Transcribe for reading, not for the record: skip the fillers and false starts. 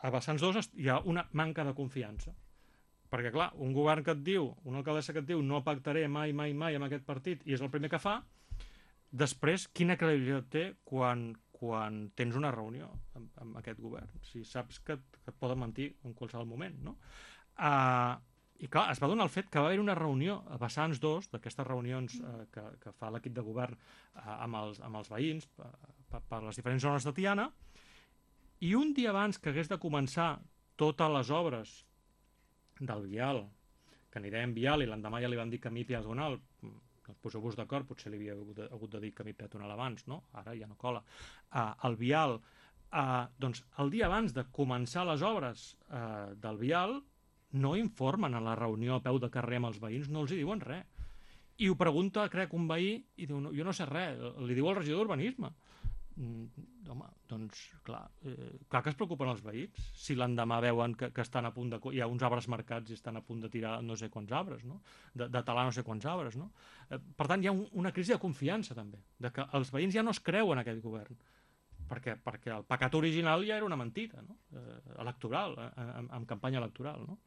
a vessants dos hi ha una manca de confiança. Perquè, clar, un govern que et diu, una alcaldessa que et diu no pactaré mai, mai, mai amb aquest partit i és el primer que fa, després, quina credibilitat té quan tens una reunió amb aquest govern? Si saps que et poden mentir en qualsevol moment, no? I clar, es va donar el fet que va haver una reunió a vessants dos, d'aquestes reunions que fa l'equip de govern amb els veïns per les diferents zones de Tiana, i un dia abans que hagués de començar totes les obres del vial, que anirem vial, i l'endemà ja li van dir camí peatonal, poseu-vos d'acord, potser li havia hagut de dir camí peatonal abans, no? Ara ja no cola. El vial, doncs el dia abans de començar les obres del vial, no informen a la reunió a peu de carrer amb els veïns, no els hi diuen res. I ho pregunta, crec, un veí, i diu, no, jo no sé res, li diu al regidor d'Urbanisme. Home, doncs clar que es preocupen els veïns si l'endemà veuen que estan a punt de... hi ha uns arbres marcats i estan a punt de tirar no sé quants arbres, no? De talar no sé quants arbres, no? Per tant, hi ha una crisi de confiança també, de que els veïns ja no es creuen aquest govern, perquè el pecat original ja era una mentida, no? Electoral, en campanya electoral, no?